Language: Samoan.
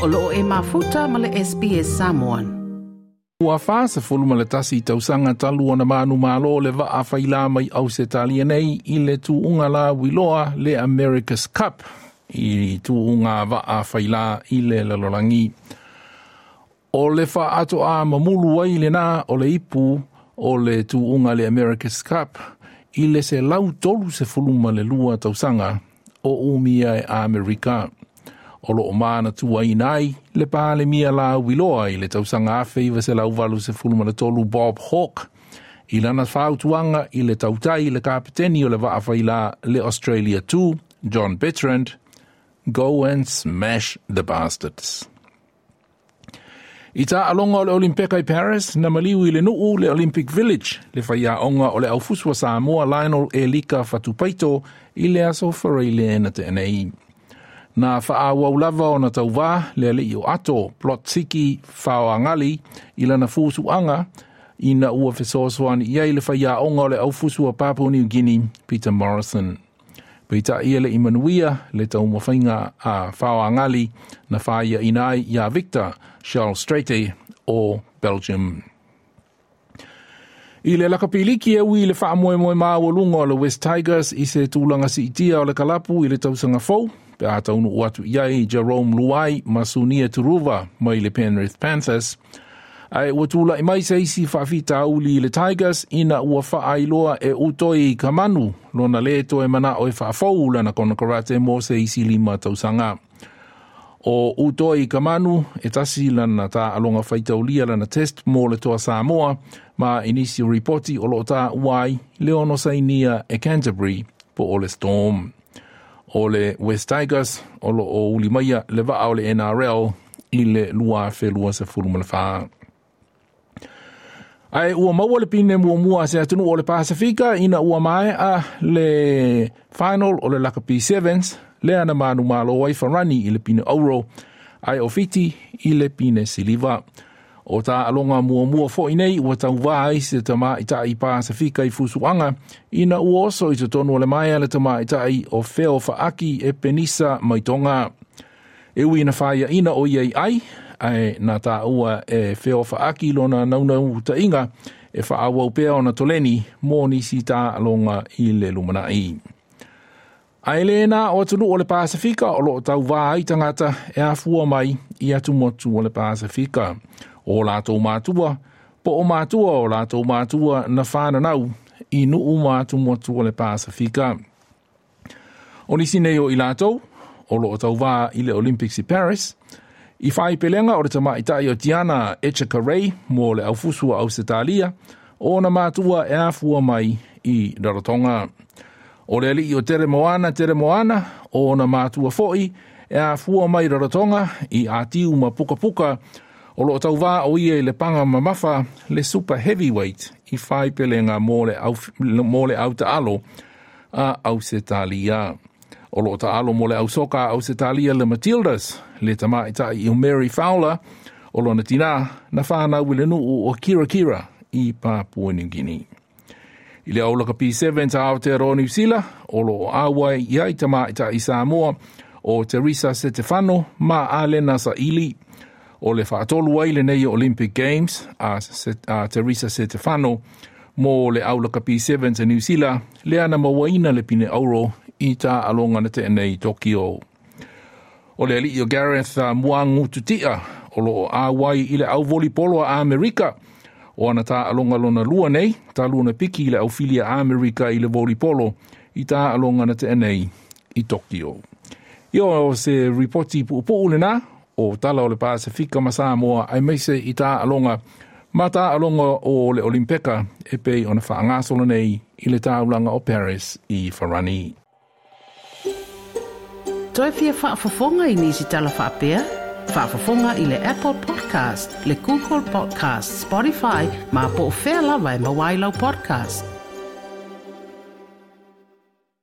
O loo e mafuta ma le SBS Samoan. Ua 41 tausaga talu ona manumalo le vaa failā mai Ausetalia nei i le tuuga lauiloa le America's Cup i tuuga vaa failā i le lalolagi. O le faatoa mamulu ai lena o le ipu o le tuuga le America's Cup i le 132 tausaga o umia e Amerika. O loo manatuaina ai le Palemia lauiloa i le tausaga 1983 Bob Hawke i lana fautuaga i le tautai le kapeteni o le vaa failā le Australia 2, John Bertrand, "Go and smash the bastards." I taaloga o le Olimpeka i Paris, na maliu i le nuu le Olympic Village, le faiaoga o le aufusu a Samoa Lionel Elika Fatupaito i le aso Faraile na tea nei. Na faaauau lava ona tauvā le alii o Ato Plot-Siki Faoagali i lana fusuaga ina ua fesoasoani i ai le faiaoga o le aufusu a Papua New Guinea Peter Morrison. Peitai e le i manuia le taumafaiga a Faoagali na faiaina ai iā Victor Schelstraete o Belgium. I le lakapiliki e ui le faamoemoe maualuga o le West Tigers i se tulaga siitia o le kalapu i le tausaga fou, pe a taunuu atu i ai Jarome Luai ma Sunia Turuva mai le Penrith Panthers, ae ua tulai mai se isi faafitauli i le Tigers ina ua faailoa e Utoikamanu lona lē toe manao e faafou lana konokarate mo se isi 5 tausaga. O Utoikamanu e tasi lana taaloga faitaulia lana test mo le toa Samoa ma i nisi o ripoti o loo taua ai le ono sainia e Canterbury po o le Storm. O le West Tigers o loo ulimaia le vaa o le NRL i le 2024. Ae ua maua le pine muamua se atunuu o le Pasifika ina ua maea le final o le Lakapi Sevens lea na manumalo ai Farani i le pine auro ae o Fiti i le pine siliva. O taaloga muamua foi nei ua tauvā ai se tamaitai Pasifika i fusuaga ina ua oso i totonu o le maea le tamaitai o Feo Faaki e Penisa mai Tonga. E ui na faiaina o ia i ai, ae na taua e Feo Faaki lona naunautaiga e faaauau pea ona toleni mo nisi taaloga i le lumanai. Ae le na o atunuu o le Pasifika o loo tauvā ai tagata e afua mai i atumotu o le Pasifika. O latou matua, po o matua o latou matua na whananau i nuu ma atumotu o le Pasifika. O nisi nei o i latou, o loo tauvā i le Olympics i Paris, i whaipelega o le tamaitai o Diana Etchegaray mo le aufusu a Ausetalia, o na matua e afua mai i Rarotonga. O le alii o Teremoana Teremoana, o na matua foi e afua mai Rarotonga i Atiu ma Pukapuka, o loo tauvā o ia i le paga mamafa le super heavyweight i whaipelega mo le autaalo a Ausetalia. O loo taalo mo le ausoka a Ausetalia le Matildas, le tamaitai o Mary Fowler, o lona tinā na whanau i le nuu o Kira Kira i Papua New Guinea. I le au lakapi 7 a Aotearoa Niu Sila, o loo auai i ai tamaitai Samoa o Teresa Setefano ma Alena Saili. O le faatolu ai lenei Olympic Games a Teresa Setefano mo le au lakapi 7 a Niu Sila, lea na mauaina le pine auro i taaloga na tea nei Tokyo. O le alii o Gareth Muangututia o loo auai i le au volipolo a Amerika, o ana taaloga lona lua nei, talu ona piki i le aufili a Amerika i le volipolo i taaloga na tea nei i Tokyo. Ia o se ripoti puupuu lena o tala o le Pasifika ma Samoa aemaise i taaloga ma taaloga o le Olimpeka e pei ona faagasolo nei i le taulaga o Paris i Farani. Toe fia faafofoga i nisi tala faapea? Faafofoga i le Apple Podcast, le Google Podcast, Spotify, ma po o fea lava e maua ai lau podcast.